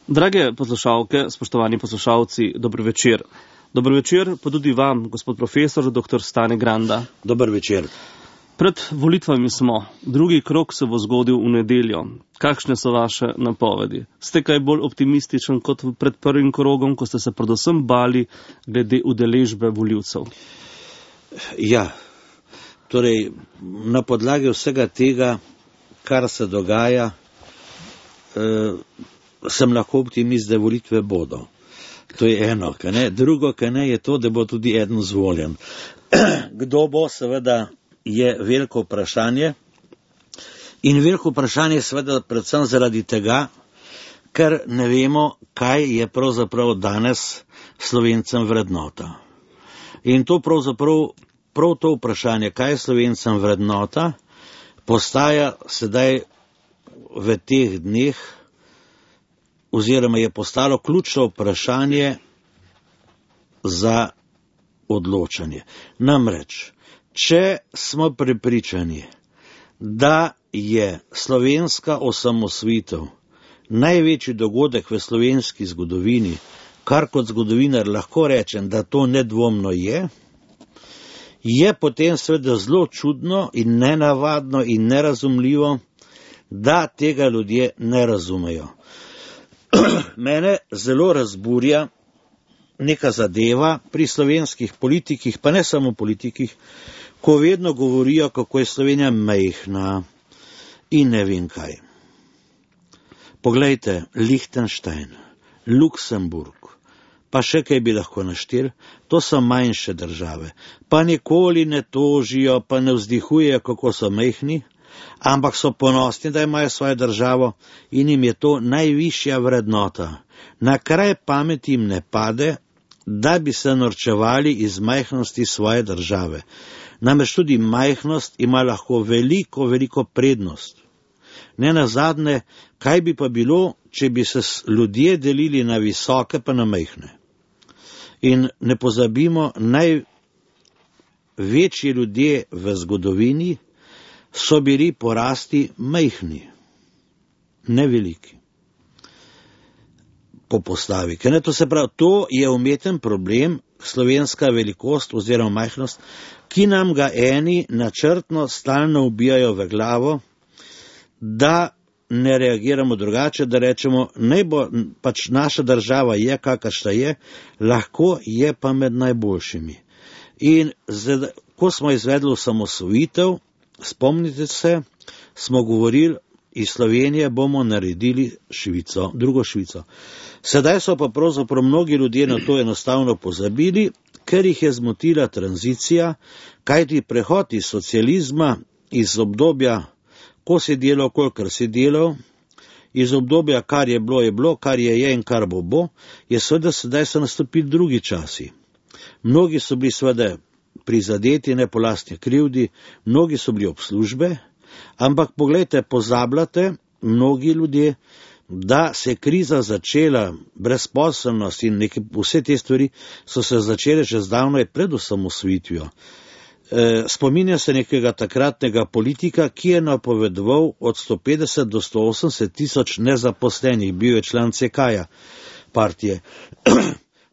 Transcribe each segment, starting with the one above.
Drage poslušalke, spoštovani poslušalci, dober večer. Dober večer pa tudi vam, gospod profesor, dr. Stane Granda. Dober večer. Pred volitvami smo. Drugi krog se bo zgodil v nedeljo. Kakšne so vaše napovedi? Ste kaj bolj optimističen kot pred prvim krogom, ko ste se predvsem bali glede udeležbe volivcev? Ja, torej na podlagi vsega tega, kar se dogaja, sem lahko optimist, da volitve bodo. To je eno, kaj ne. Drugo, kaj ne, je to, da bo tudi eden zvoljen. Kdo bo, seveda, je veliko vprašanje. In veliko vprašanje seveda predvsem zaradi tega, ker ne vemo, kaj je pravzaprav danes Slovencem vrednota. In to pravzaprav, prav to vprašanje, kaj je Slovencem vrednota, postaja sedaj v teh dneh, oziroma je postalo ključno vprašanje za odločanje. Namreč, če smo prepričani, da je slovenska osamosvojitev največji dogodek v slovenski zgodovini, kar kot zgodovinar lahko rečem, da to nedvomno je potem seveda zelo čudno in nenavadno in nerazumljivo, da tega ljudje ne razumejo. Mene zelo razburja neka zadeva pri slovenskih politikih, pa ne samo politikih, ko vedno govorijo, kako je Slovenija majhna in ne vem kaj. Poglejte, Lichtenstein, Luksemburg, pa še kaj bi lahko naštel, to so manjše države, pa nikoli ne tožijo, pa ne vzdihujejo, kako so majhni, ampak so ponosni, da imajo svojo državo in jim je to najvišja vrednota. Na kraj pameti jim ne pade, da bi se norčevali iz majhnosti svoje države. Namreč tudi majhnost ima lahko veliko prednost. Ne nazadnje, kaj bi pa bilo, če bi se ljudje delili na visoke pa na majhne. In ne pozabimo, največji ljudje v zgodovini so bili po rasti majhni, ne veliki, po postavi. To se pravi, to je umeten problem, slovenska velikost oziroma majhnost, ki nam ga eni načrtno stalno ubijajo v glavo, da ne reagiramo drugače, da rečemo, naj bo pač naša država je, kakršna je, lahko je pa med najboljšimi. In ko smo izvedli osamosvojitev, spomnite se, smo govorili, iz Slovenije bomo naredili Švico, drugo Švico. Sedaj so pa pravzaprav mnogi ljudje na to enostavno pozabili, ker jih je zmotila tranzicija, kajti prehod iz socializma, iz obdobja, ko si delal, kolikor si delal, iz obdobja, kar je bilo, kar je in kar bo, je seveda sedaj so nastopili drugi časi. Mnogi so bili seveda prizadeti, ne po lastni krivdi, mnogi so bili ob službe, ampak poglejte, pozabljate, mnogi ljudje, da se je kriza začela, brezposelnost in vse te stvari so se začele že zdavnaj pred osamosvojitvijo. Spominja se nekega takratnega politika, ki je napovedoval od 150 do 180 tisoč nezaposlenih, bil je član CK-ja partije.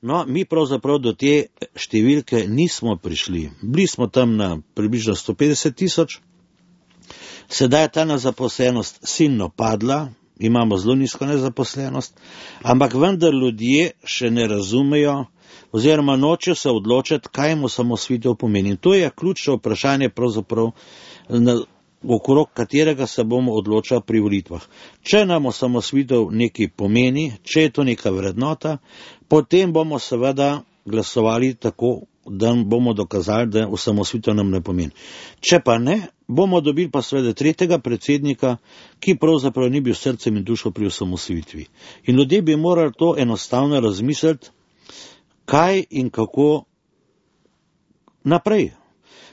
No, mi pravzaprav do te številke nismo prišli. Bili smo tam na približno 150 tisoč, sedaj je ta nezaposlenost silno padla, imamo zelo nizko nezaposlenost, ampak vendar ljudje še ne razumejo oziroma nočejo se odločiti, kaj mu osamosvojitev pomeni. In to je ključno vprašanje pravzaprav, okrog katerega se bomo odločali pri volitvah. Če nam osamosvojitev nekaj pomeni, če je to neka vrednota, potem bomo seveda glasovali tako, da bomo dokazali, da osamosvojitev nam ne pomeni. Če pa ne, bomo dobili pa seveda tretjega predsednika, ki pravzaprav ni bil srcem in dušo pri osamosvojitvi. In ljudje bi morali to enostavno razmisliti, kaj in kako naprej.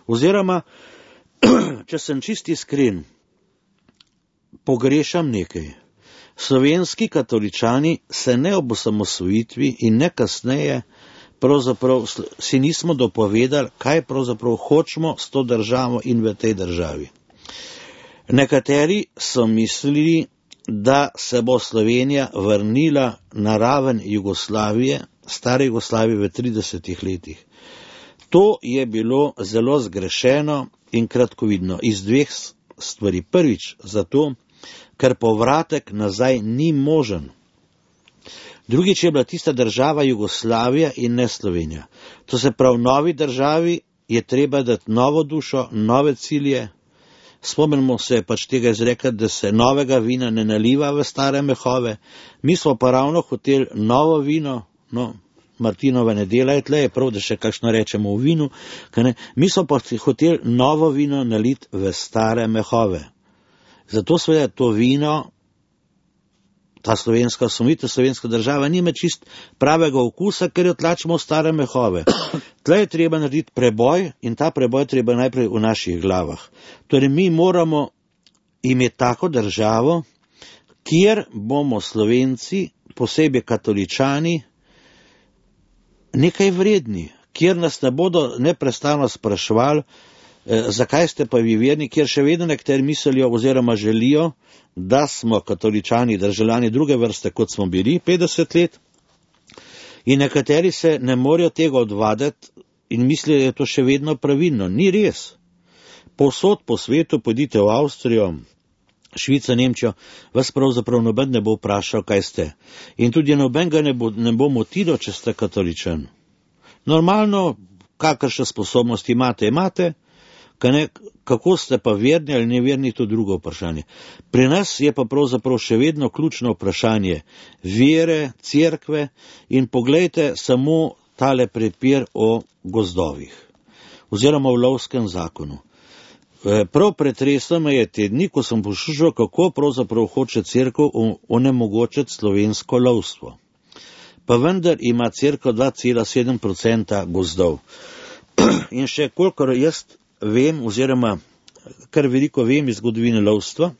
Oziroma, če sem čisti iskren, pogrešam nekaj. Slovenski katoličani se ne ob osamosvojitvi in ne kasneje pravzaprav si nismo dopovedali, kaj pravzaprav hočemo s to državo in v tej državi. Nekateri so mislili, da se bo Slovenija vrnila na raven Jugoslavije, stare Jugoslavije v 30 letih. To je bilo zelo zgrešeno in kratkovidno iz dveh stvari. Prvič zato, ker povratek nazaj ni možen. Drugič je bila tista država Jugoslavija in ne Slovenija. To se pravi, novi državi je treba dati novo dušo, nove cilje. Spomnimo se pač tega izreka, da se novega vina ne naliva v stare mehove. Mi smo pa ravno hoteli novo vino, no, Martinova nedela je tle, je prav, da še kakšno rečemo v vinu, mi smo pa hoteli novo vino naliti v stare mehove. Zato seveda to vino, ta slovenska osvoboditev, slovenska država nima čist pravega okusa, ker jo tlačimo v stare mehove. Tle je treba narediti preboj in ta preboj treba najprej v naših glavah. Torej mi moramo imeti tako državo, kjer bomo Slovenci, posebej katoličani, nekaj vredni, kjer nas ne bodo neprestano spraševali, zakaj ste pa vi verni, kjer še vedno nekateri mislijo oziroma želijo, da smo katoličani državljani druge vrste, kot smo bili 50 let, in nekateri se ne morejo tega odvaditi in mislijo, da je to še vedno pravilno. Ni res. Povsod po svetu, pojdite v Avstrijo, Švico, Nemčijo, vas pravzaprav noben ne bo vprašal, kaj ste. In tudi noben ga ne bo motilo, če ste katoličan. Normalno, kakršne sposobnosti imate, kako ste pa verni ali neverni, to drugo vprašanje. Pri nas je pa pravzaprav še vedno ključno vprašanje vere, cerkve in poglejte samo tale prepir o gozdovih oziroma v lovskem zakonu. Prav pretreslo me je te dni, ko sem poslušal, kako pravzaprav hoče cerkev onemogočiti slovensko lovstvo. Pa vendar ima cerkev 2,7% gozdov. In še kolikor jaz vem, oziroma kar veliko vem iz zgodovine lovstva,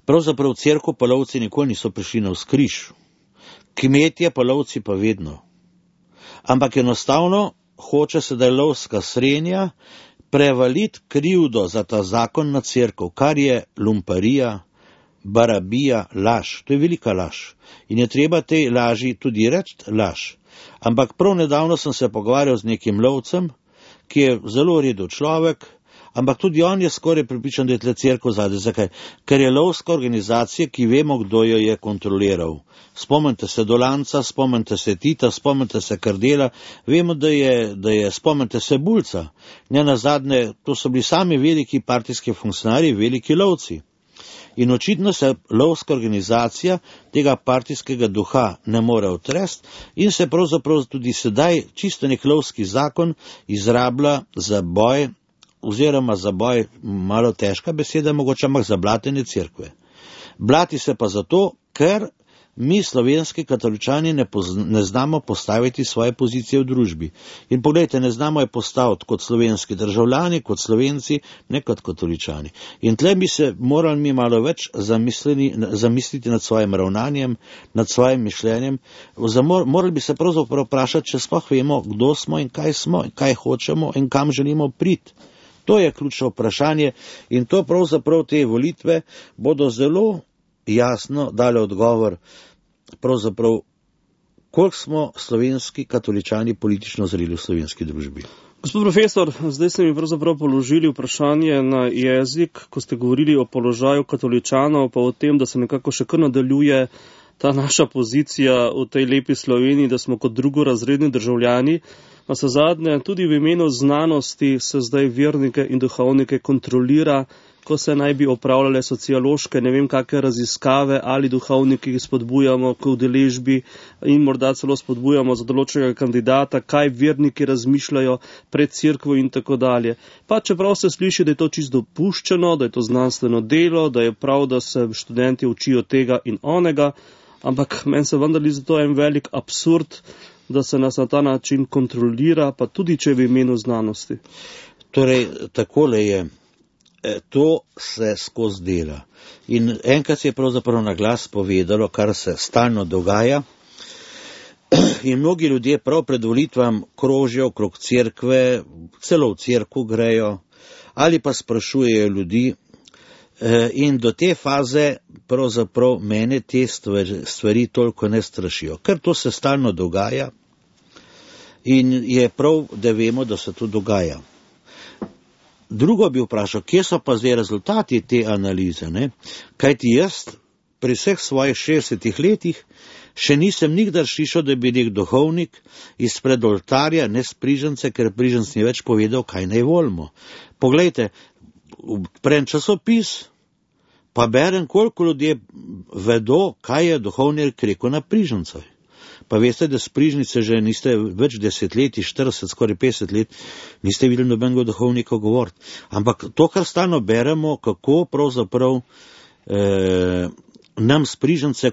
pravzaprav cerkev pa lovci nikoli niso prišli na vzkriž. Kmetje pa lovci pa vedno. Ampak enostavno hoče sedaj lovska srenja prevaliti krivdo za ta zakon na cerkev, kar je lumparija, barabija, laž. To je velika laž. In je treba tej laži tudi reči laž. Ampak prav nedavno sem se pogovarjal z nekim lovcem, ki je zelo redo človek, ampak tudi on je skoraj pripričan, da je tle cerkev zadaj. Zakaj? Ker je lovska organizacija, ki vemo, kdo jo je kontroliral. Spomnite se Dolanca, spomnite se Tita, spomnite se Kardela, vemo, da je spomnite se Bulca. Ne nazadnje, to so bili sami veliki partijski funkcionarji, veliki lovci. In očitno se lovska organizacija tega partijskega duha ne more otresti in se pravzaprav tudi sedaj čisto nek lovski zakon izrablja za boj, oziroma za boj, malo težka beseda mogoče, ampak za blatenje cerkve. Blati se pa zato, ker mi slovenski katoličani ne znamo postaviti svoje pozicije v družbi. In pogledajte, ne znamo je postaviti kot slovenski državljani, kot Slovenci, ne kot katoličani. In tle bi se morali mi malo več zamisliti nad svojim ravnanjem, nad svojim mišljenjem. Morali bi se pravzaprav vprašati, če sploh vemo, kdo smo in kaj hočemo in kam želimo priti. To je ključno vprašanje in to pravzaprav te volitve bodo zelo jasno dale odgovor, pravzaprav, koliko smo slovenski katoličani politično zreli v slovenski družbi. Gospod profesor, zdaj ste mi pravzaprav položili vprašanje na jezik, ko ste govorili o položaju katoličanov, pa o tem, da se nekako še kar nadaljuje ta naša pozicija v tej lepi Sloveniji, da smo kot drugorazredni državljani. Pa se zadnje, tudi v imenu znanosti se zdaj vernike in duhovnike kontrolira, ko se naj bi opravljale sociološke, ne vem kakve raziskave, ali duhovniki spodbujamo k udeležbi in morda celo spodbujamo za določenega kandidata, kaj verniki razmišljajo pred cerkvo in tako dalje. Pa čeprav se sliši, da je to čisto dopuščeno, da je to znanstveno delo, da je prav, da se študenti učijo tega in onega, ampak meni se vendar zdi to en velik absurd, da se nas na ta način kontrolira, pa tudi če v imenu znanosti. Torej, takole je. To se skozi dela. In enkrat se je pravzaprav na glas povedalo, kar se stalno dogaja. In mnogi ljudje prav pred volitvam krožijo okrog cerkve, celo v cerkev grejo, ali pa sprašujejo ljudi, In do te faze pravzaprav mene te stvari toliko ne strašijo, ker to se stalno dogaja in je prav, da vemo, da se to dogaja. Drugo bi vprašal, kje so pa zdaj rezultati te analize, ne? Kajti jaz pri vseh svojih 60 letih še nisem nikdar slišal, da bi nek duhovnik izpred oltarja, ne sprižence, ker priženc ni več povedal, kaj naj volimo. Poglejte, prem časopis, pa berem, koliko ljudje vedo, kaj je duhovnik rekel na prižencah. Pa veste, da sprižnice že niste več desetletij, 40, skoraj 50 let, niste videli nobenega duhovnika govoriti. Ampak to, kar stalno beremo, kako pravzaprav nam sprižence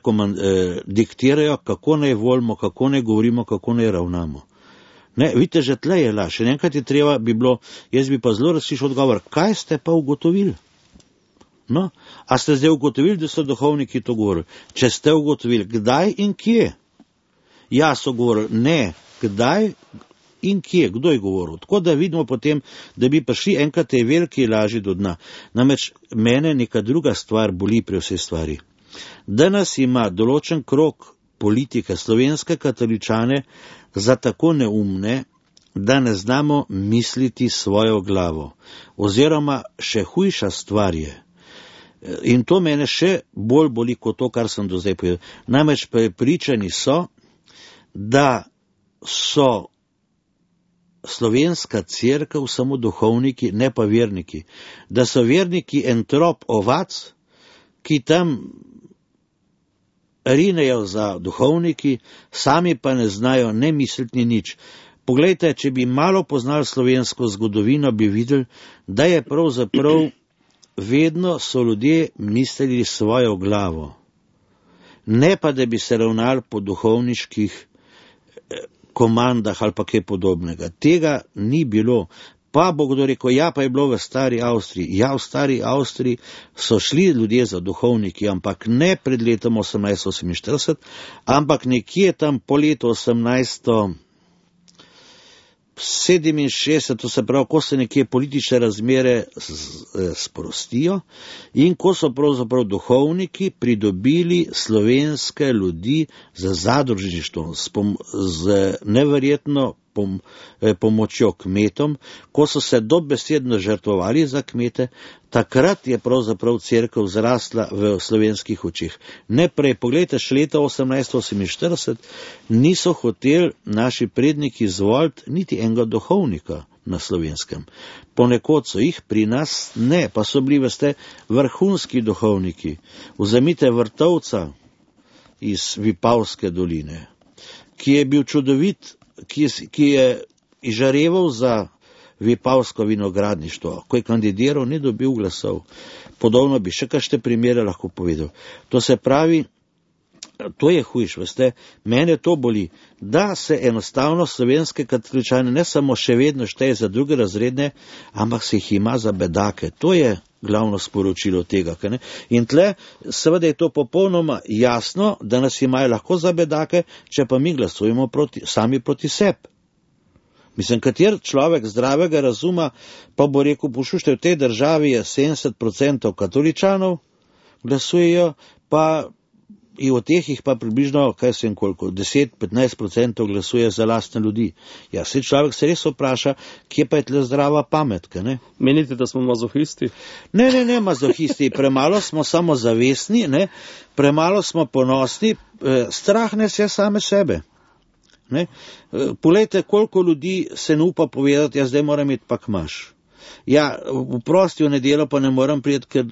diktirajo, kako naj volimo, kako naj govorimo, kako naj ravnamo. Ne, vidite, že tle je laž. Še enkrat je treba bi bilo, jaz bi pa zelo razslišal odgovor, kaj ste pa ugotovili? No, a ste zdaj ugotovili, da so duhovniki to govorili? Če ste ugotovili, kdaj in kje? Ja, so govorili, ne, kdaj in kje, kdo je govoril. Tako da vidimo potem, da bi prišli enkrat tej veliki laži do dna. Namreč mene neka druga stvar boli pri vsej stvari. Danes ima določen krog politike, slovenske katoličane, za tako neumne, da ne znamo misliti svojo glavo. Oziroma še hujša stvar je. In to mene še bolj boli kot to, kar sem do zdaj povedal. Namreč prepričani so, da so slovenska cerkev samo duhovniki, ne pa verniki. Da so verniki en trop ovac, ki tam rinejo za duhovniki, sami pa ne znajo ne misliti nič. Poglejte, če bi malo poznali slovensko zgodovino, bi videli, da je pravzaprav vedno so ljudje mislili svojo glavo. Ne pa, da bi se ravnali po duhovniških komandah ali pa kaj podobnega. Tega ni bilo. Pa bo kdo rekel, ja, pa je bilo v stari Avstriji. Ja, v stari Avstriji so šli ljudje za duhovniki, ampak ne pred letom 1848, ampak nekje tam po letu 1867, to se pravi, ko se nekje politične razmere sprostijo in ko so pravzaprav duhovniki pridobili slovenske ljudi za zadružništvo, z neverjetno pomočjo kmetom, ko so se dobesedno žrtvovali za kmete, takrat je pravzaprav cerkev zrasla v slovenskih očeh. Ne prej, pogledajte, še leta 1848 niso hoteli naši predniki izvoliti niti enega duhovnika na Slovenskem. Ponekod so jih, pri nas ne, pa so bili, veste, vrhunski duhovniki. Vzemite Vrtovca iz Vipavske doline, ki je bil čudovit, ki je izžareval za Vipavsko vinogradništvo. Ko je kandidiral, ni dobil glasov. Podobno bi še kakšne primere lahko povedal. To se pravi, to je hujš, veste, mene to boli, da se enostavno slovenske katoličane ne samo še vedno šteje za druge razredne, ampak se jih ima za bedake. To je glavno sporočilo tega. Ne? In tle, seveda je to popolnoma jasno, da nas imajo lahko za bedake, če pa mi glasujemo sami proti sebi. Mislim, kater človek zdravega razuma pa bo rekel, poslušajte, v tej državi je 70% katoličanov, glasujejo, pa in od teh jih pa približno, kaj sem koliko, 10-15% glasuje za lastne ljudi. Ja, se človek se res vpraša, kje pa je tle zdrava pamet, ne? Menite, da smo mazohisti? Ne, mazohisti, premalo smo samozavestni, ne? Premalo smo ponosni, strah nas je same sebe. Ne? Poglejte, koliko ljudi se ne upa povedati, ja, zdaj moram iti pa kmaš. Ja, v prosti v nedeljo pa ne moram priti, ker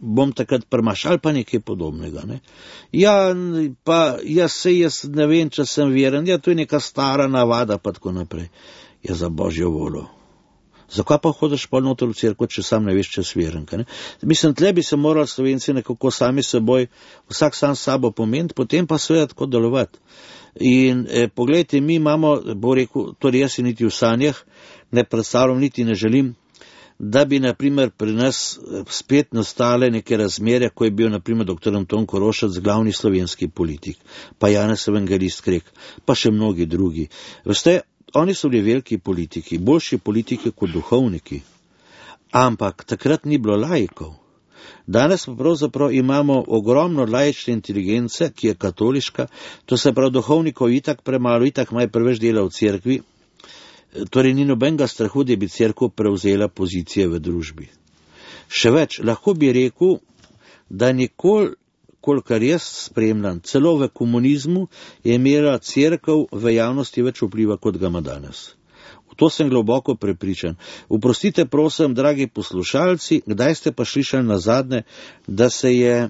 bom takrat prmaš ali pa nekaj podobnega. Ne? Ja, pa jaz ne vem, če sem veren, ja, to je neka stara navada, pa tako naprej. Ja, za božjo voljo. Zakaj pa hodiš pol noter v cerkev, če sam ne veš, če si veren? Mislim, tle bi se morali Slovenci nekako sami seboj, vsak sam sabo pomeniti, potem pa seveda tako delovati. In pogledajte, mi imamo, bo rekel, torej jaz si niti v sanjah ne predstavljam, niti ne želim, da bi, naprimer, pri nas spet nastale neke razmere, ko je bil, naprimer, dr. Anton Korošac glavni slovenski politik, pa Janez Evangelist Krek, pa še mnogi drugi. Veste, oni so bili veliki politiki, boljši politiki kot duhovniki, ampak takrat ni bilo laikov. Danes pa pravzaprav imamo ogromno laične inteligence, ki je katoliška, to se pravi duhovnikov itak premalo, itak maj preveč dela v cerkvi, torej ni nobenega strahu, da bi cerkev prevzela pozicije v družbi. Še več, lahko bi rekel, da nikoli, kolikor jaz spremljam, celo v komunizmu je imela cerkev v javnosti več vpliva, kot ga ima danes. V to sem globoko prepričan. Oprostite, prosim, dragi poslušalci, kdaj ste pa slišali nazadnje, da se je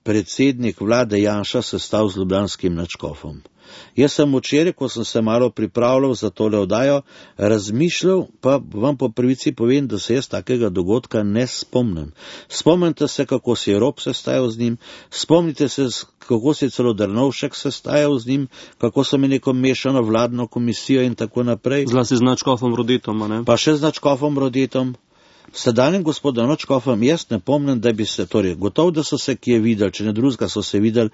predsednik vlade Janša sestal z ljubljanskim nadškofom? Jaz sem včeraj, ko sem se malo pripravljal za tole oddajo, razmišljal, pa vam po pravici povem, da se jaz takega dogodka ne spomnim. Spomnite se, kako se je Rop sestajal z njim, spomnite se, kako se je celo Drnovšek sestajal z njim, kako so imeli neko mešano vladno komisijo in tako naprej. Zlasti z nadškofom Rodetom, a ne? Pa še z nadškofom Rodetom. Sedanjem gospodom nadškofom jaz ne pomnim, da bi se, torej, gotovo, da so se kje videli, če ne drugega so se videli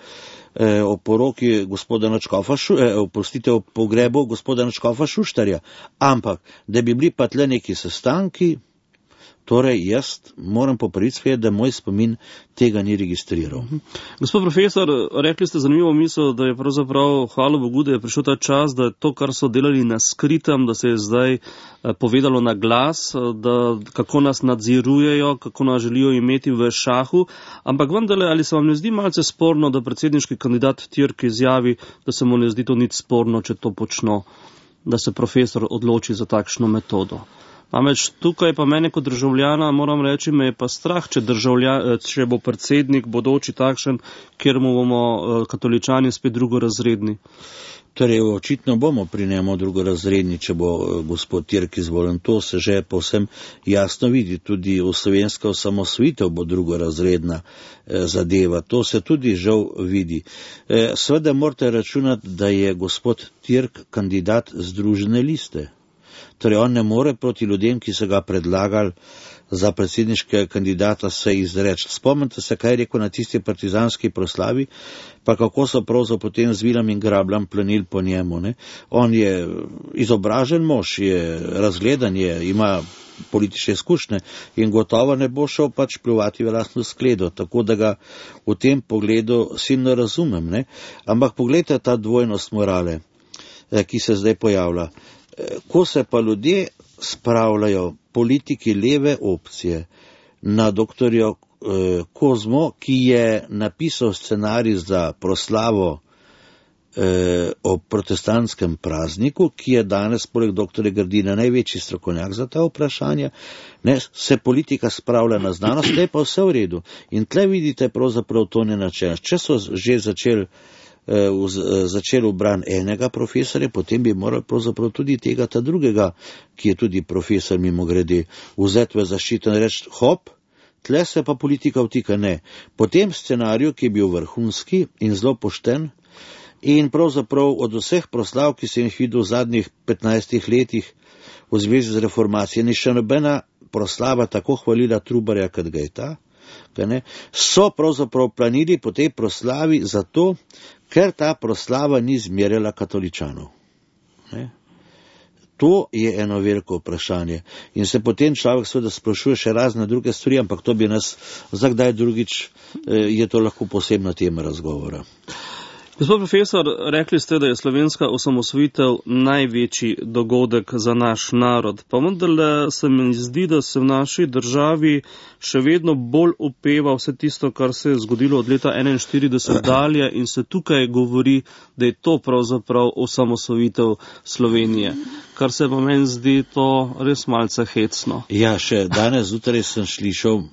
o poroki gospoda nadškofa, o pogrebu gospoda nadškofa Šuštarja, ampak, da bi bili pa tle neki sestanki, torej jaz moram popraviti, da moj spomin tega ni registriral. Gospod profesor, rekli ste zanimivo misel, da je pravzaprav, hvala Bogu, da je prišel ta čas, da je to, kar so delali na skritem, da se je zdaj povedalo na glas, da kako nas nadzirujejo, kako nas želijo imeti v šahu, ampak vendarle, ali se vam ne zdi malce sporno, da predsedniški kandidat Türk izjavi, da se mu ne zdi to nič sporno, če to počno, da se profesor odloči za takšno metodo? Namreč tukaj pa mene kot državljana, moram reči, me je pa strah, če bo predsednik bodoči takšen, kjer mu bomo katoličani spet drugorazredni. Torej, očitno bomo pri njemu drugorazredni, če bo gospod Türk izvoljen. To se že povsem jasno vidi. Tudi v slovenska osamosvojitev bo drugorazredna zadeva. To se tudi žal vidi. Seveda morate računati, da je gospod Türk kandidat Združene liste. Torej, on ne more proti ljudem, ki so ga predlagali za predsedniškega kandidata, se izreči. Spomnite se, kaj je rekel na tisti partizanski proslavi, pa kako so pravzaprav potem z vilami in grabljam planili po njemu. Ne? On je izobražen mož, je razgledan, ima politične izkušnje in gotovo ne bo šel pač pljuvati v lastno skledo, tako da ga v tem pogledu silno razumem. Ne? Ampak pogledajte ta dvojnost morale, ki se zdaj pojavlja. Ko se pa ljudje spravljajo, politiki leve opcije, na doktorja Kozmo, ki je napisal scenarij za proslavo o protestantskem prazniku, ki je danes poleg doktorja Grdina največji strokovnjak za ta vprašanja, ne, se politika spravlja na znanost, tle pa vse v redu. In tle vidite pravzaprav to nenačelno. Če so že začeli v bran enega profesorja, potem bi morali pravzaprav tudi tega, ta drugega, ki je tudi profesor mimogrede, vzeti v zaščito in reči, hop, tle se pa politika vtika, ne. Po tem scenariju, ki je bil vrhunski in zelo pošten, in pravzaprav od vseh proslav, ki sem jih videl v zadnjih 15 letih v zvezi z reformacijo, ni še nobena proslava tako hvalila Trubarja, kot ga je ta, so pravzaprav planili po tej proslavi zato, ker ta proslava ni zmerjala katoličanov. Ne? To je eno veliko vprašanje. In se potem človek seveda sprašuje še razne druge stvari, ampak to bi nas za kdaj drugič, je to lahko posebna tema razgovora. Gospod profesor, rekli ste, da je slovenska osamosvojitev največji dogodek za naš narod. Pa vendarle se mi zdi, da se v naši državi še vedno bolj opeva vse tisto, kar se je zgodilo od leta 1941 dalje in se tukaj govori, da je to pravzaprav osamosvojitev Slovenije. Kar se pa meni zdi to res malce hecno. Ja, še danes zjutraj sem slišal,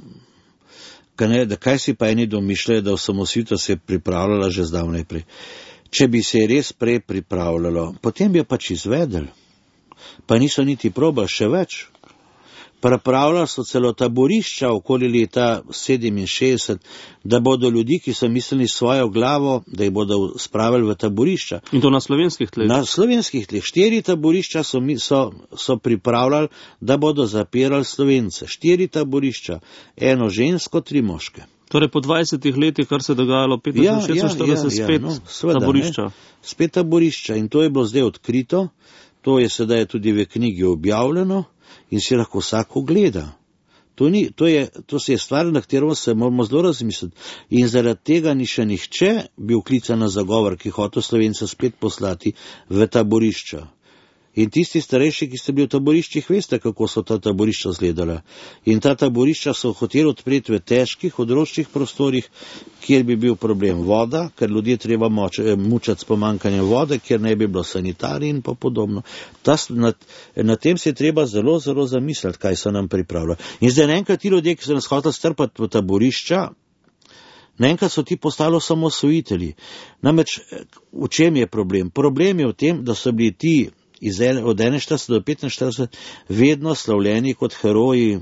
da kaj si pa eni domišljajo, da osamosvojitev se je pripravljala že zdavnaj prej. Če bi se res prej pripravljalo, potem bi jo pač izvedeli. Pa niso niti probali še več. Pripravljali so celo taborišča okoli leta 67, da bodo ljudi, ki so mislili svojo glavo, da jih bodo spravili v taborišča. In to na slovenskih tleh? Na slovenskih tleh. 4 taborišča so pripravljali, da bodo zapirali Slovence. 4 taborišča. 1 žensko, 3 moške. Torej po 20 letih, kar se je dogajalo 45, spet taborišča. Spet taborišča. In to je bilo zdaj odkrito. To je sedaj tudi v knjigi objavljeno. In si lahko vsak ogleda. To je stvar, na katero se moramo zelo razmisliti. In zaradi tega ni še nihče bil klican na zagovor, ki hotel Slovence spet poslati v taborišča. In tisti starejši, ki ste bili v taboriščih, veste, kako so ta taborišča izgledala. In ta taborišča so hoteli odpreti v težkih, odročnih prostorih, kjer bi bil problem voda, ker ljudje treba mučati s pomanjkanjem vode, kjer ne bi bilo sanitarij in pa podobno. Na tem se je treba zelo, zelo zamisliti, kaj so nam pripravljali. In zdaj naenkrat ti ljudje, ki so nas hoteli strpati v taborišča, naenkrat so ti postali osamosvojitelji. Namreč, v čem je problem? Problem je v tem, da so bili ti od 41 do 45 vedno slavljeni kot heroji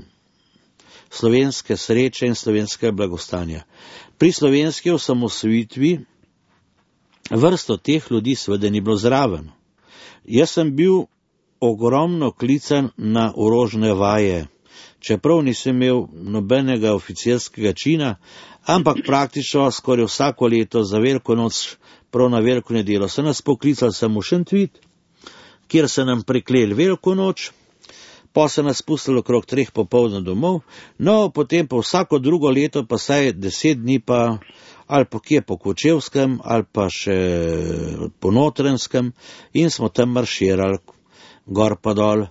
slovenske sreče in slovenskega blagostanja. Pri slovenski osamosvojitvi vrsto teh ljudi seveda ni bilo zraven. Jaz sem bil ogromno klican na orožne vaje, čeprav nisem imel nobenega oficirskega čina, ampak praktično skoraj vsako leto za veliko noč, prav na veliko nedeljo, so nas poklicali samo Šentvid, kjer se nam prikleli veliko noč, pa se nas pustili okrog 3 popoldne domov, no potem pa vsako drugo leto pa saj 10 dni pa ali pa kje po Kočevskem ali pa še po Notranjskem in smo tam marširali gor pa dol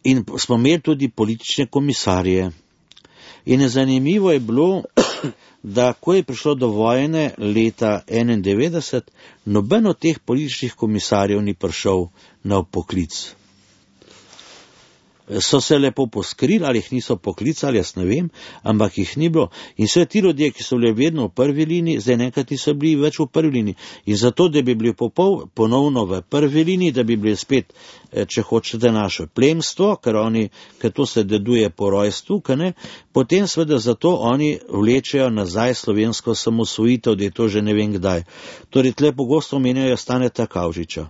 in smo imeli tudi politične komisarje. In zanimivo je bilo, da ko je prišlo do vojne leta 1991, noben od teh političnih komisarjev ni prišel na poklic. So se lepo poskrili, ali jih niso poklicali, jaz ne vem, ampak jih ni bilo. In vse ti ljudje, ki so bili vedno v prvi liniji, zdaj nekaj niso bili več v prvi liniji. In zato, da bi bili ponovno v prvi liniji, da bi bili spet, če hočete, naše plemstvo, ker to se deduje po rojstvu, potem seveda zato oni vlečejo nazaj slovensko samosvojitev, da je to že ne vem kdaj. Torej, tle pogosto omenjajo Staneta Kavčiča.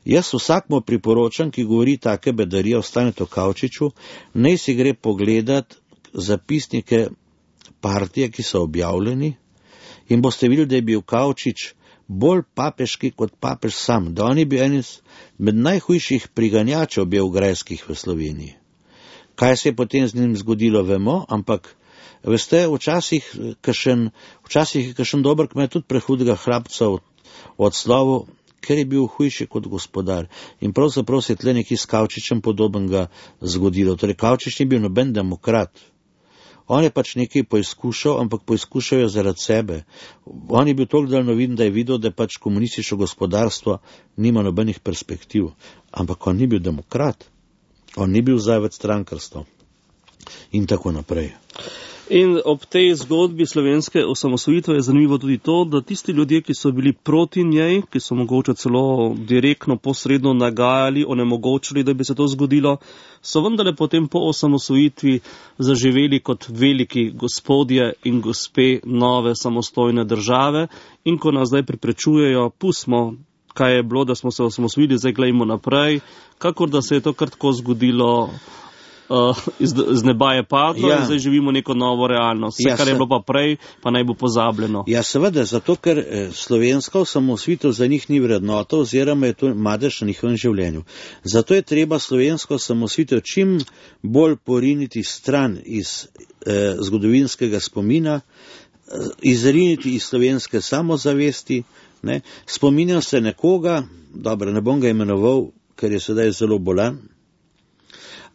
Jaz vsakmu priporočam, ki govori take bedarije o Stanetu Kavčiču, naj si gre pogledat zapisnike partije, ki so objavljeni, in boste videli, da je bil Kavčič bolj papeški kot papež sam, da on je bil en med najhujših priganjačev beograjskih v Sloveniji. Kaj se je potem z njim zgodilo, vemo, ampak veste, včasih je kakšen dober kmet tudi prehudega hlapca odslovil, ker je bil hujši kot gospodar. In pravzaprav se je tle nekaj s Kavčičem podobnega zgodilo. Torej, Kavčič ni bil noben demokrat. On je pač nekaj poizkušal, ampak poizkušal je zaradi sebe. On je bil toliko daljnoviden, da je videl, da pač komunistično gospodarstvo nima nobenih perspektiv. Ampak on ni bil demokrat. On ni bil zaved strankarstva. In tako naprej. In ob tej zgodbi slovenske osamosvojitve je zanimivo tudi to, da tisti ljudje, ki so bili proti njej, ki so mogoče celo direktno, posredno nagajali, onemogočili, da bi se to zgodilo, so vendarle potem po osamosvojitvi zaživeli kot veliki gospodje in gospe nove samostojne države. In ko nas zdaj preprečujejo, pustimo, kaj je bilo, da smo se osamosvojili, zdaj gledajmo naprej, kakor da se je to kar tako zgodilo. Z neba je padlo in zdaj živimo neko novo realnost. Vse, kar je bilo pa prej, pa naj bo pozabljeno. Ja, seveda, zato ker slovenska osamosvojitev za njih ni vrednota oziroma je to madež na njihovem življenju. Zato je treba slovensko osamosvojitev čim bolj poriniti stran iz zgodovinskega spomina, izriniti iz slovenske samozavesti. Spominjam se nekoga, dobro, ne bom ga imenoval, ker je sedaj zelo bolan,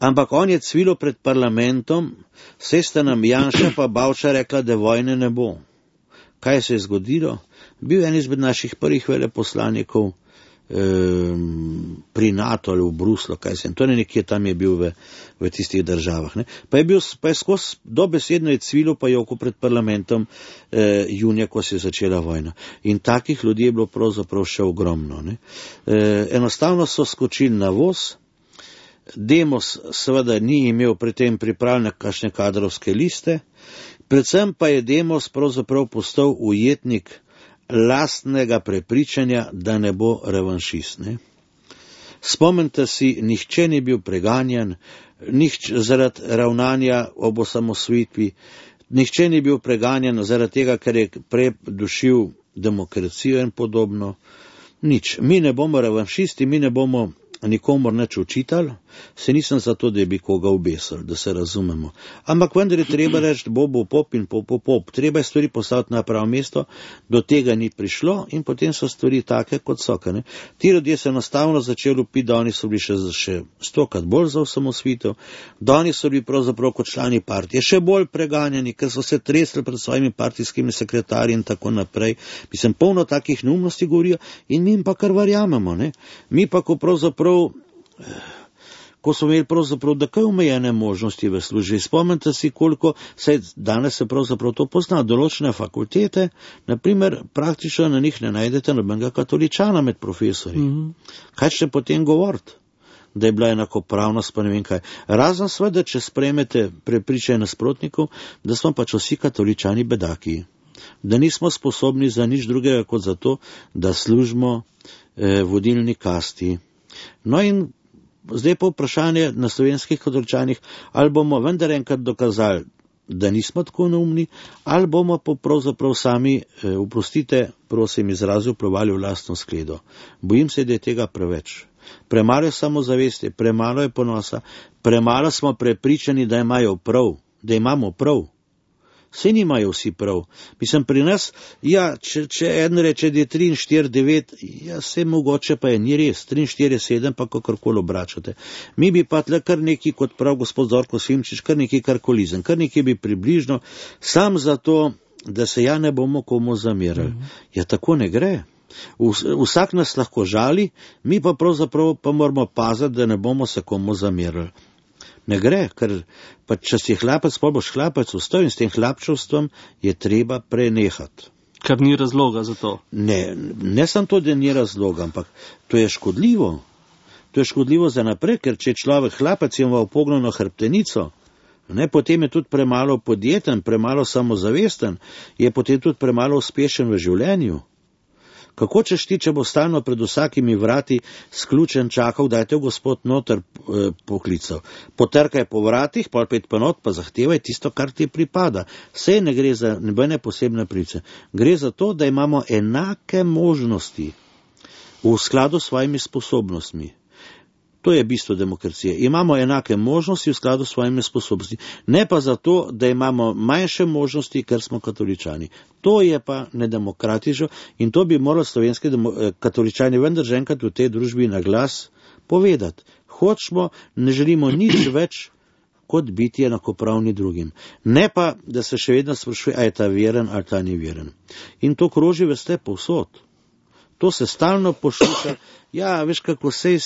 ampak on je cvilo pred parlamentom, saj sta nam Janša pa Bavčar rekla, da vojne ne bo. Kaj se je zgodilo? Bil je en izmed naših prvih veleposlanikov pri NATO ali v Bruslu, to ne nekje tam je bil v tistih državah. Pa je skozi dobesedno je cvilo pa joko pred parlamentom junija, ko se je začela vojna. In takih ljudi je bilo pravzaprav še ogromno. Enostavno so skočili na voz. Demos seveda ni imel pri tem pripravljene kakšne kadrovske liste, predvsem pa je Demos pravzaprav postal ujetnik lastnega prepričanja, da ne bo revanšist. Spomnite si, nihče ni bil preganjan, zaradi ravnanja ob osamosvojitvi, nihče ni bil preganjan zaradi tega, ker je predušil demokracijo in podobno. Nič. Mi ne bomo revanšisti, mi ne bomo nikomor nič učitelj, se nisem za to, da bi koga obesil, da se razumemo. Ampak vendar je treba reči, bo pop in pop. Treba je stvari postaviti na pravo mesto, do tega ni prišlo in potem so stvari take, kot so. Ne? Ti ljudje so enostavno začeli upiti, da oni so bili še 100krat bolj za osamosvojitev, da oni so bili pravzaprav kot člani partije še bolj preganjani, ker so se tresli pred svojimi partijskimi sekretarji in tako naprej. Mislim, polno takih neumnosti govorijo in mi jim pa kar verjamemo. Ne? Mi pa, ko smo imeli pravzaprav takoj omejene možnosti v službi. Spomnite si, koliko, danes se pravzaprav to pozna, določene fakultete, naprimer, praktično na njih ne najdete nobenega katoličana med profesori. Kaj še potem govoriti? Da je bila enakopravnost, pa ne vem kaj. Razen seveda, če sprejmete prepričanje nasprotnikov, da smo pač vsi katoličani bedaki. Da nismo sposobni za nič drugega kot za to, da služimo vodilni kasti. No in zdaj pa vprašanje na slovenskih katoličanih, ali bomo vendar enkrat dokazali, da nismo tako neumni, ali bomo pa pravzaprav sami, oprostite, prosim izrazil, plovali v lastno skledo. Bojim se, da je tega preveč. Premalo je samozavesti, premalo je ponosa, premalo smo prepričani, da imamo prav. Vse nimajo vsi prav. Mislim, pri nas, ja, če en reče, da je 3 in 4, 9, ja, vse mogoče pa je, ni res, 3 in 4, 7, pa kakorkoli obračate. Mi bi pa tle kar neki, kot prav gospod Zorko Simčič, kar neki karkolizem, kar neki bi približno, sam zato, da se ja ne bomo komu zamerali. Ja, tako ne gre. Vsak nas lahko žali, mi pa pravzaprav pa moramo paziti, da ne bomo se komu zamerali. Ne gre, ker pa če si hlapec, pol boš hlapec vstal in s tem hlapčevstvom je treba prenehati. Ker ni razloga za to. Ne samo to, da ni razloga, ampak to je škodljivo. To je škodljivo za naprej, ker če je človek hlapec in ima upognjeno hrbtenico, potem je tudi premalo podjeten, premalo samozavesten, je potem tudi premalo uspešen v življenju. Kako češ ti, če bo stalno pred vsakimi vrati sključen čakal, da je te gospod noter poklical. Potrkaj po vratih, pol pet pa not, pa zahtevaj tisto, kar ti pripada. Vse ne gre za nobene posebne pravice. Gre za to, da imamo enake možnosti v skladu s svojimi sposobnostmi. To je bistvo demokracije. Imamo enake možnosti v skladu s svojimi sposobnosti. Ne pa zato, da imamo manjše možnosti, ker smo katoličani. To je pa nedemokratično in to bi morali slovenski katoličani vendar že enkrat v tej družbi na glas povedati. Hočemo, ne želimo nič več kot biti enakopravni drugim. Ne pa, da se še vedno sprašuje, a je ta veren ali ta ni veren. In to kroži veste povsod. To se stalno posluša, ja, veš kako sej,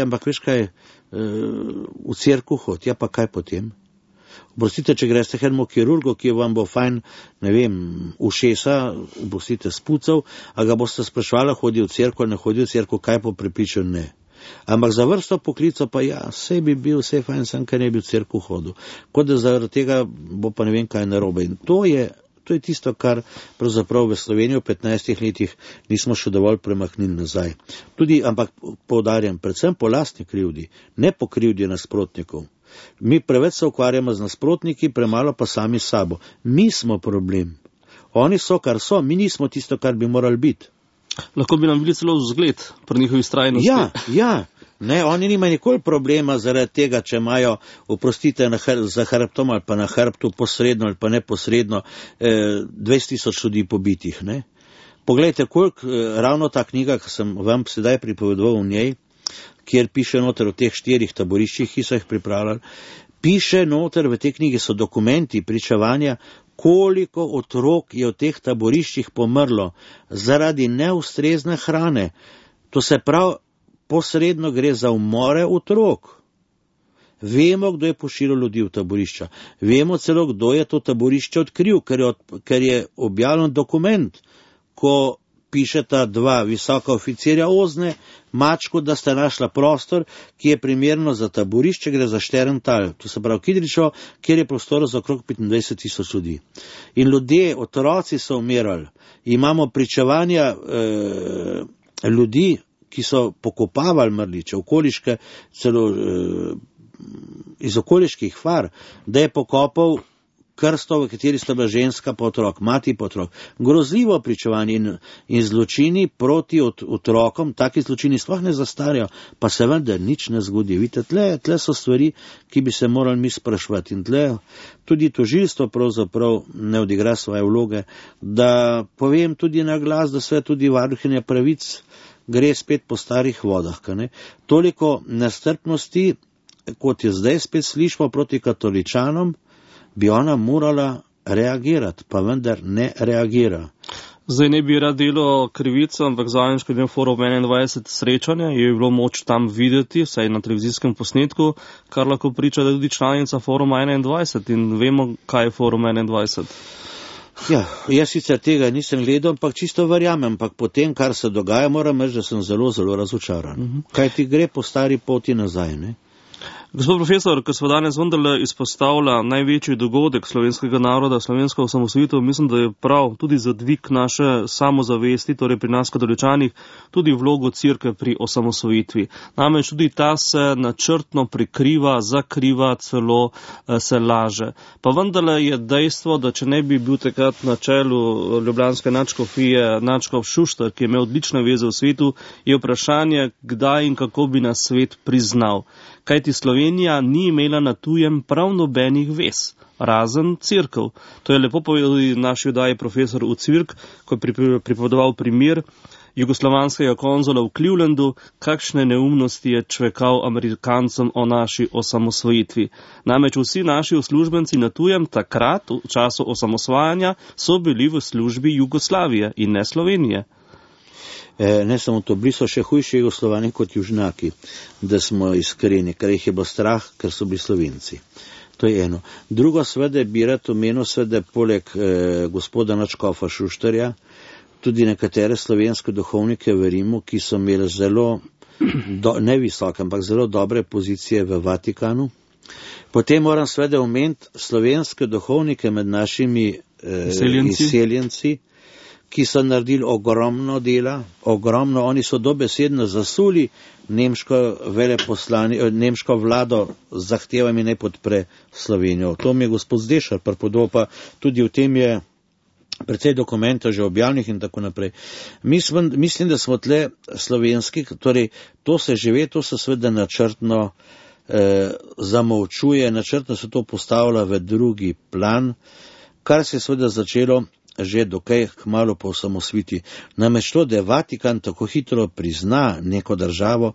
ampak veš kaj, v cerkev hod, ja pa kaj potem? Oprostite, če greste enemu kirurgu, ki vam bo fajn, ne vem, ušesa, oprostite, spucal, a ga boste sprašvali, hodi v cerkev ali ne hodi v cerkev, kaj po prepričanju ne. Ampak za vrsto poklica pa ja, vse bi bil, vse fajn sem, kaj ne bi v cerkev hodil. Kot da zaradi tega bo pa ne vem kaj narobe. In to je tisto, kar pravzaprav v Sloveniji v 15 letih nismo še dovolj premaknili nazaj. Tudi, ampak poudarjam, predvsem po lastni krivdi, ne po krivdi nasprotnikov. Mi preveč se ukvarjamo z nasprotniki, premalo pa sami s sabo. Mi smo problem. Oni so, kar so, mi nismo tisto, kar bi morali biti. Lahko bi nam bili celo vzgled pri njihovi vztrajnosti. Ja. Ne, oni nimajo nikoli problema zaradi tega, če imajo, oprostite, za hrbtom ali pa na hrbtu posredno ali pa neposredno 20,000 ljudi pobitih. Ne. Poglejte, koliko ravno ta knjiga, ki sem vam sedaj pripovedoval v njej, kjer piše noter o teh 4 taboriščih, ki so jih pripravljali, piše noter v tej knjigi so dokumenti, pričevanja, koliko otrok je v teh taboriščih pomrlo zaradi neustrezne hrane. To se pravi, posredno gre za umore otrok. Vemo, kdo je pošiljal ljudi v taborišča. Vemo celo, kdo je to taborišče odkril, ker je objavljen dokument, ko pišeta 2 visoka oficirja Ozne, Mačku, da sta našla prostor, ki je primerno za taborišče, gre za Šterental, to se pravi Kidričevo, kjer je prostor za okrog 25,000 ljudi. In ljudje, otroci so umirali. Imamo pričevanja ljudi, ki so pokopavali mrliče, okoliške, celo iz okoliških far, da je pokopal krsto, v kateri sta bila ženska pa otrok, mati pa otrok. Grozljivo pričevanje in zločini proti otrokom, taki zločini sploh ne zastarajo, pa se vendar nič ne zgodi. Vidite, tle so stvari, ki bi se morali mi spraševati in tle tudi tožilstvo pravzaprav ne odigra svoje vloge, da povem tudi na glas, da sve tudi varuhinja pravic gre spet po starih vodah. Toliko nestrpnosti, kot je zdaj spet slišmo proti katoličanom, bi ona morala reagirati, pa vendar ne reagira. Zdaj ne bi rad delo krivico, ampak zadnjič, ko je bil Forum 21 srečanja, je bilo moč tam videti, vsaj na televizijskem posnetku, kar lahko priča, da je tudi članica Foruma 21 in vemo, kaj je Forum 21. Ja, jaz sicer tega nisem gledal, ampak čisto verjamem, ampak po tem, kar se dogaja, moram reči, da sem zelo, zelo razočaran. Kaj ti gre po stari poti nazaj, ne? Gospod profesor, ko smo danes vendarle izpostavlja največji dogodek slovenskega naroda, slovensko osamosvojitev, mislim, da je prav tudi za dvig naše samozavesti, torej pri nas katoličanih, tudi vlogo Cerkve pri osamosvojitvi. Namreč tudi ta se načrtno prikriva, zakriva, celo se laže. Pa vendarle je dejstvo, da če ne bi bil takrat na čelu ljubljanske nadškofije nadškof Šuštar, ki je imel odlične veze v svetu, je vprašanje, kdaj in kako bi nas svet priznal. Kajti Slovenija ni imela na tujem prav nobenih vez, razen Cerkev. To je lepo povedal naš oddaji profesor Ucvirk, ko je pripovedoval primer jugoslovanskega konzula v Clevelandu, kakšne neumnosti je čvekal Amerikancem o naši osamosvojitvi. Namreč vsi naši uslužbenci na tujem takrat, v času osamosvajanja, so bili v službi Jugoslavije in ne Slovenije. Ne samo to, bili so še hujši Jugoslovani kot južnjaki, da smo iskreni, ker jih je bilo strah, ker so bili Slovenci. To je eno. Drugo, svede bi rad omenil, svede poleg gospoda nadškofa Šuštarja, tudi nekatere slovenske duhovnike v Rimu, ki so imeli zelo, ne visoke, ampak zelo dobre pozicije v Vatikanu. Potem moram svede omeniti slovenske duhovnike med našimi izseljenci, ki so naredili ogromno dela, oni so dobesedno zasuli nemško vlado z zahtevami ne podpre Slovenijo. To mi je gospod Zdešar pripovedal, pa tudi v tem je precej dokumentov že objavljenih in tako naprej. Mislim, da smo tle slovenski, torej to se žive, to se seveda načrtno zamolčuje, načrtno se to postavlja v drugi plan, kar se je seveda začelo že dokaj kmalu po osamosvojitvi. Namreč to, da je Vatikan tako hitro prizna neko državo,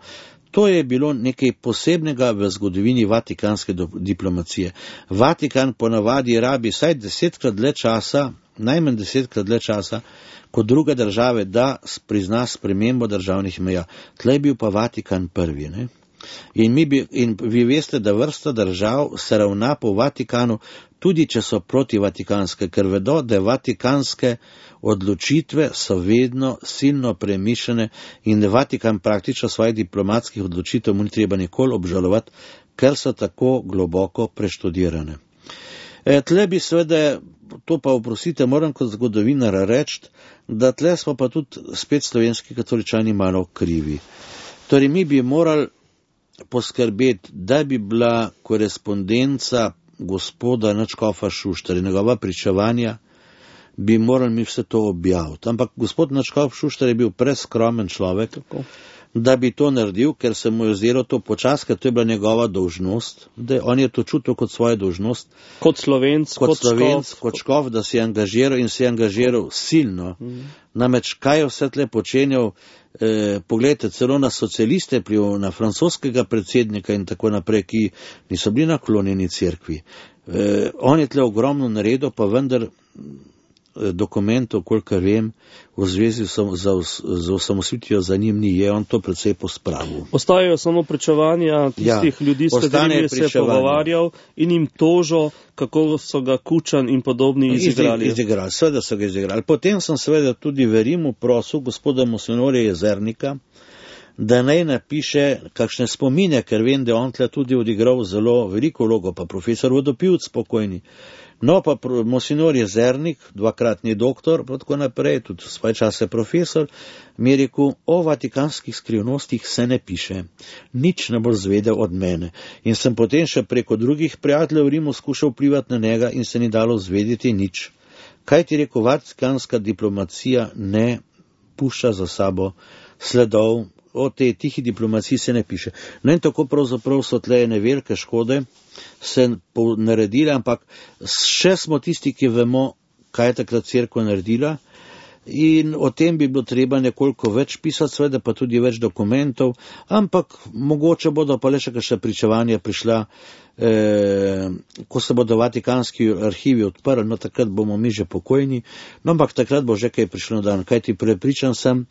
to je bilo nekaj posebnega v zgodovini vatikanske diplomacije. Vatikan ponavadi rabi vsaj 10-krat dlje časa, najmanj 10-krat dlje časa, kot druge države, da prizna spremembo državnih meja. Tle je bil pa Vatikan prvi, ne? In vi veste, da vrsta držav se ravna po Vatikanu, tudi če so protivatikanske, ker vedo, da vatikanske odločitve so vedno silno premišljene in da Vatikan praktično svojih diplomatskih odločitev mu ni treba nikoli obžalovati, ker so tako globoko preštudirane. Tle bi seveda, to pa oprostite, moram kot zgodovinar reči, da tle smo pa tudi spet slovenski katoličani malo krivi. Torej mi bi morali poskrbeti, da bi bila korespondenca gospoda nadškofa Šuštarja, njegova pričevanja, bi morali mi vse to objaviti. Ampak gospod nadškof Šuštar je bil preskromen človek, da bi to naredil, ker se mu je zdelo to počas, ker to je bila njegova dolžnost, da on je to čutil kot svojo dolžnost. Kot Slovenc, kot škof, da se je angažiral in se je angažiral silno. Namreč, kaj je vse tle počenjal, pogledajte, celo na socialiste, na francoskega predsednika in tako naprej, ki niso bili naklonjeni cerkvi. On je tle ogromno naredil, pa vendar dokumentov, kolikor vem, v zvezi z osamosvojitvijo za njim ni, je on to precej pospravil. Ostajajo samo pričevanja tistih ljudi, s katerimi se je pogovarjal in jim tožo, kako so ga Kučan in podobni izigrali. Seveda so ga izigrali. Potem sem seveda tudi v Rimu prosil gospoda Monsignorja Jezernika, da naj napiše kakšne spomine, ker vem, da on tle tudi odigral zelo veliko vlogo, pa profesor Vodopivc spokojni. No, pa Monsignor Jezernik, dvakratni doktor, pa tako naprej, tudi svoj čas je profesor, mi je rekel, o vatikanskih skrivnostih se ne piše, nič ne bo zvedel od mene. In sem potem še preko drugih prijateljev v Rimu skušal vplivati na njega in se ni dalo zvedeti nič. Kaj ti rekel, vatikanska diplomacija ne pušča za sabo sledov, o tej tihi diplomaciji se ne piše. No in tako pravzaprav so tle ene velike škode se naredile, ampak še smo tisti, ki vemo, kaj je takrat cerkev naredila, in o tem bi bilo treba nekoliko več pisati, seveda pa tudi več dokumentov, ampak mogoče bodo pa le še kakšna pričevanja prišla, ko se bodo vatikanski arhivi odprli, no takrat bomo mi že pokojni, no ampak takrat bo že kaj prišlo na dan, kajti prepričan sem,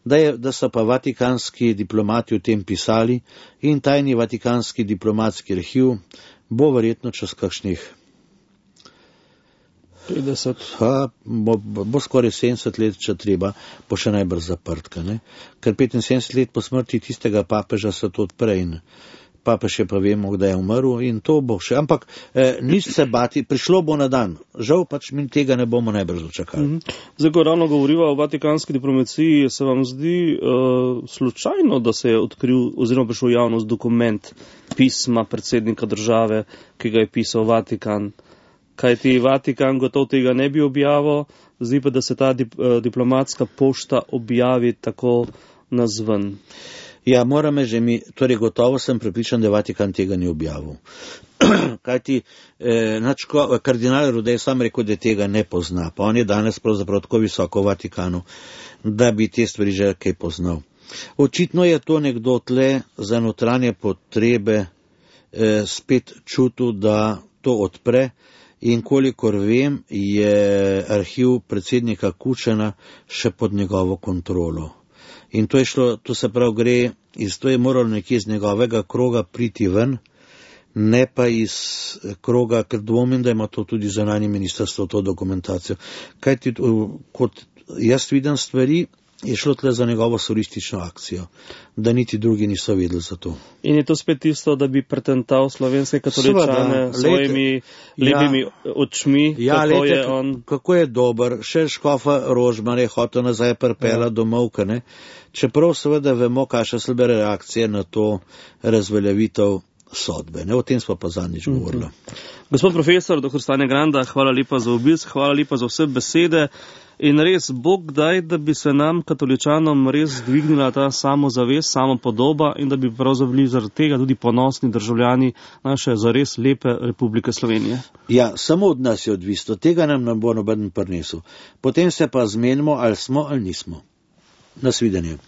da so pa vatikanski diplomati o tem pisali in tajni vatikanski diplomatski arhiv bo verjetno čez kakšnih 50. Bo skoraj 70 let, če treba, bo še najbrž zaprtka, ne? Ker 75 let po smrti tistega papeža se to odpre in papež je pa vemo, kdaj je umrl in to bo še, ampak nič se bati, prišlo bo na dan, žal pač mi tega ne bomo najbrž dočakali. Zdaj, ko ravno govoriva o vatikanski diplomaciji, se vam zdi slučajno, da se je odkril oziroma prišel v javnost dokument pisma predsednika države, ki ga je pisal Vatikan? Kajti Vatikan gotov tega ne bi objavil, zdi pa, da se ta diplomatska pošta objavi tako nazven. Ja, moram že torej gotovo sem prepričan, da Vatikan tega ni objavil. Kajti kardinal Rudej sam rekel, da tega ne pozna, pa on je danes pravzaprav tako visoko v Vatikanu, da bi te stvari že kaj poznal. Očitno je to nekdo tle za notranje potrebe spet čutil, da to odpre, in kolikor vem, je arhiv predsednika Kučana še pod njegovo kontrolo. In to je šlo, to se prav gre, to je moralo nekje iz njegovega kroga priti ven, ne pa iz kroga, ker dvomim, da ima to tudi zunanje ministrstvo, to dokumentacijo. Kajti, kot jaz vidim stvari, je šlo tle za njegovo solistično akcijo, da niti drugi niso vedeli za to. In je to spet tisto, da bi pretental slovenske katoličane svojimi lepimi očmi, kako je on... Kako je dober, še škofa Rožmar je hotel nazaj pripela domov, ne? Čeprav seveda vemo, kakšne slabe reakcije na to razveljavitev sodbe. Ne? O tem smo pa zadnjič govorili. Gospod profesor, dr. Stane Granda, hvala lepa za obisk, hvala lepa za vse besede. In res, Bog daj, da bi se nam, katoličanom, res dvignila ta samozavest, samopodoba in da bi pravzaprav bili zaradi tega tudi ponosni državljani naše zares lepe Republike Slovenije. Ja, samo od nas je odvisno, tega nam ne bo noben prinesel. Potem se pa zmenimo, ali smo ali nismo. Nasvidenje.